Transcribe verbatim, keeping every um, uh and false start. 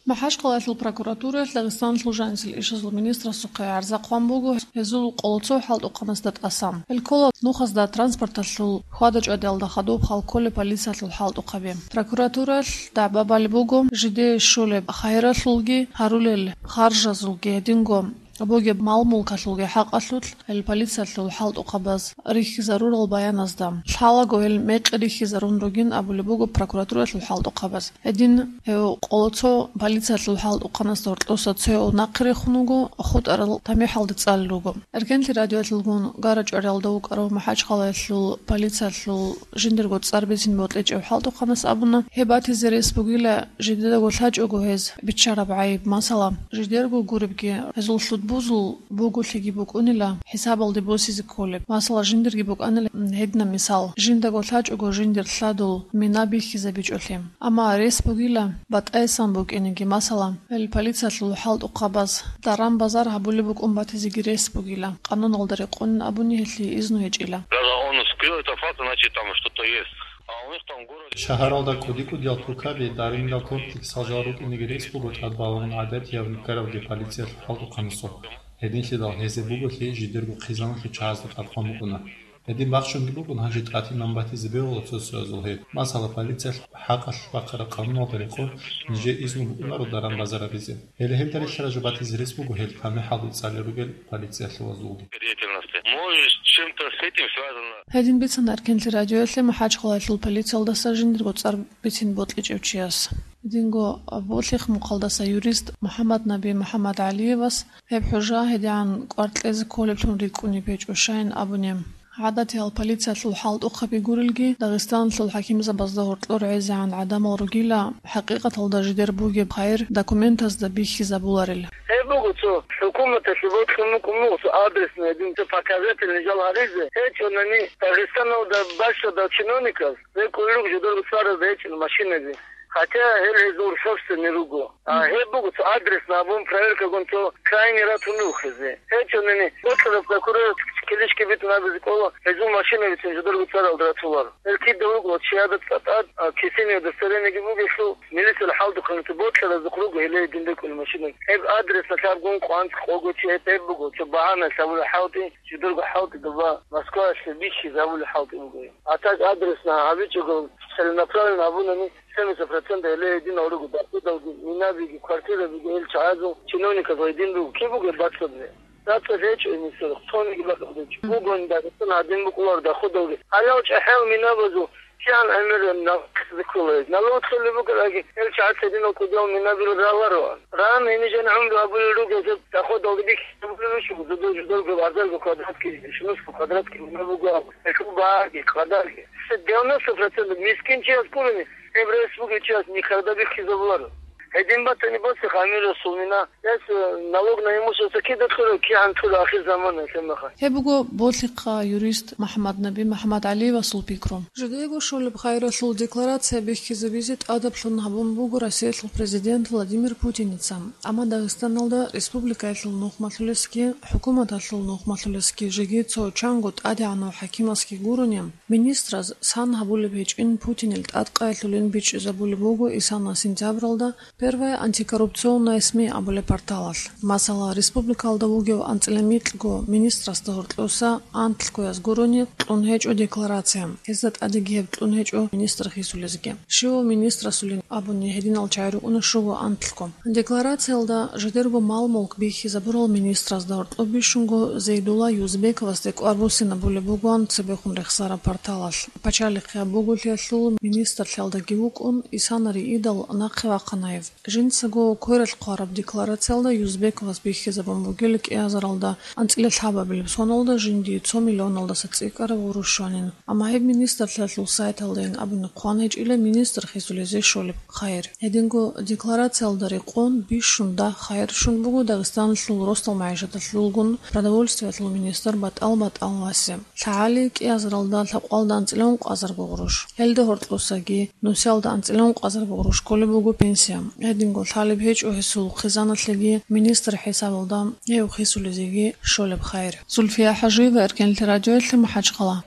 МахӀачхъалаялъул прокуратураялъ Дагъистаналъул жанисел ишазул министрасухъе гӀарза хъван буго гьезул къоло цо хӀалтӀухъанасда тӀасан. Гьел ккола нухазда транспорталъул хьвада-чӀвадиялда хадуб хал кколеб полициялъул хӀалтӀухъаби. Прокуратураялъ дагӀба балеб буго жидее щолеб хайралъулги гьарулел харжазулги гьединго бугеб мал-мулкалъулги хӀакъалъулъ гьел полициялъул хӀалтӀухъабаз рихьизарурал баяназда. Лъалаго гьел мекъи рихьизарун ругин абулеб буго прокуратураялъул хӀалтӀухъабаз. Гьедин гьев къоло цо полициялъул хӀалтӀухъанасда гьоркьоса цояв нахъе рехун вуго, хутӀарал тамихӀалде цӀалел руго. Эркенлъи радиоялъулгун гара-чӀвариялда вукӀарав МахӀачхъалаялъул полициялъул жиндирго цӀар бицин бокьичӀев хӀалтӀухъанас абуна, гьеб батизе рес бугила жидедаго лъачӀого гьез биччараб гӀайиб, масала, жидерго гуребги гьезул лъудбузул буголъиги букӀунила хӀисабалде босизе кколеб. Масала, жиндирги букӀанила гьединаб мисал, жиндаго лъачӀого жиндир лъадул мина бихьизабичӀолъи. Амма рес бугила батӀайсан букӀинеги, масала, гьел полициялъул хӀалтӀухъабаз даран-базар гьабулеб букӀун батизеги рес бугила, къануналда рекъонин абуни гьелъие изну гьечӀила. Даже он скрыл этот факт, значит, там что-то есть. А у них там в городе... Шагьаралда кӀуди-кӀудиял тукаби, даринал комплексал жал рукӀинеги рес буго тӀадбалагьун гӀадатияб никаравги полициялъул хӀалтӀухъанасул. Гьединлъидал гьезие буголъи жидерго хъизаналъул чагӀазда тӀадхъван букӀуна. Гьедин бахчунги букӀун, гьанже тӀатинан батизе бегьула цо-цоязул гьеб. Масала, полициялъ хӀакъалъулъ бахъараб къануналда рекъон, нижее изну букӀунаро даран-базар гьабизе. Гьеле гьелда релълъараб жо батизе рес буго гьел тамихӀалде цӀалел ругел полициялъул вазулги. Деятельности. Может, с чем-то с этим связано? Гьедин бицана Эркенлъи радиоялъе МахӀачхъалаялъул полициялдаса жиндирго цӀар бицин бокьичӀев чияс. Гьединго Болъихъ мухъалдаса юрист МухӀаммаднаби МухӀаммадгӀалиевас гьеб хӀужа гьедигӀан кӀвар кьезе кколеблъун рикӀкӀунеб гьечӀо, щайин абуни. ГӀадатиял полициялъул хӀалтӀухъаби гурелги, Дагъистаналъул хӀакимзабазда гьоркьор гӀезегӀан гӀадамал ругила, хӀакъикъаталда жидер бугеб хайир документазда бихьизабуларел. Гьеб буго цо хӀукуматалъе бокьун букӀун буго цо адресный гьедин цо показательный жал гьаризе, гьечӀонани Дагъистаналда бащадал чиновниказ рекӀулел руго жидерго цӀаразда гьечӀеб машинаби. Хотя гьел гьезул собственный руго. А гьеб буго цо адресный абун проверкагун цо крайний ратун рухизе. ГьечӀонани бокьараб прокурор килищги битӀун абизе кӀола, гьезул машинабицин жидерго цӀаралда ратуларо. Гьел кида руго, чияда цӀа-, тӀад, а, кисине удостоверениеги бугелъул, милициял хӀалтӀухъанги бокьаразухъ руго гьеле гьедин рекӀунеб машина. Гьеб адресалъ абгун къванц къого чи гьеб, гьеб буго, цо багьаналъ абулеб хӀалтӀи, жидерго хӀалтӀи доба Москваялъе бихьизабулеб хӀалтӀи буго. А так адресный гьабичӀого, целенаправленно абунани, семьдесят процентов гьеле гьединал руго, дахудалги, минабиги, квартирабиги гьел чагӀазул чиновниказ гьедин руго. Киб бугеб бацӀцӀадзе? БацӀцӀад гьечӀо гьениса, цониги бакӀалда гьечӀо. Бугони Дагъистан гьадин букӀуларо дахудалги. Гьалав чӀахӀиял минабазул кигӀан гӀемер налкъизе ккола гьез. Налог лъолеб букӀараги, гьел чагӀаз гьединал кӀудиял минабил ралароан. Ран гьенижан гӀумру гьабулел руго гьезул дахудалги бихьизабулел руго, жидер-жидерго арзарго квадратки, шумусго квадратки мина буго абу. Гьелъул багьаги, къадарги. Девяносто процентов мискинчияс гурони, гьеб рес бугев чияс никогда бихьизабуларо. Гьедин батани, боцӀи гӀемер расул мина, гьес, э, налог на имущество кида кьурав, кигӀан кьурав ахир замана гьелъул мехалъ. Гьеб буго Болъихъа юрист МухӀаммаднаби МухӀаммадгӀалиевасул пикру. Жидеего щолеб хайралъул декларация бихьизабизе тӀадаблъун гьабун буго Россиялъул президент Владимир Путиница. Амма Дагъистаналда республикаялъул нухмалъулесги, хӀукуматалъул нухмалъулесги жеги цо чанго тӀадегӀанав хӀакимасги гурони, министраз сан гьабулеб гьечӀин Путинил тӀадкъаялъулин бичӀчӀизабулеб буго исана сентябралда Первая антикоррупционная СМИ абулеб порталалъ. Масала, республикалда вугев анцӀила микьго министрасда гьоркьоса анлъгояз гурони кьун гьечӀо декларация. Гьезда тӀадеги гьеб кьун гьечӀо министр хисулезги. Щивав министрасулин абуни гьединал чагӀи рукӀуна щуго анлъго. Декларациялда жидерго мал-мулк бихьизабурал министразда гьоркьоб бищунго Зейдулла Юзбековасде кӀвар буссинабулеб бугоан цебехун рехсараб порталалъ. Пачалихъе гьаб буголъиялъул министрлъиялдаги вукӀун, исана риидал нахъе вахъана гьев. Жинцаго квералъ хъвараб декларациялда Юзбековас бихьизабун бугел кӀиазаралда анцӀила лъабабилеб соналда жиндие цо миллионалдаса цӀикӀкӀараб гъурущ щванин. Амма гьеб министрлъиялъул сайталдайин абуни хъван гьечӀила министр хисулезе щолеб хайир. Гьединго декларациялда рекъон бищун дагь хайир щун буго Дагъистаналъул росдал магӀишаталъулгун продовольствиялъул министр БатӀал БатӀаловасе. ЛъагӀали кӀиазаралда лъабкъоялда анцӀила ункъазарго гъурущ. Гьелда гьоркьосаги нусиялда анцӀила ункъазарго гъурущ кколеб буго пенсия. Гьединго лъалеб гьечӀо гьесул хъизаналъеги министр хӀисабалда гьев хисулезеги щолеб хайир. Зульфия ХӀажиева, Эркенлъи радиоялъе, МахӀачхъала.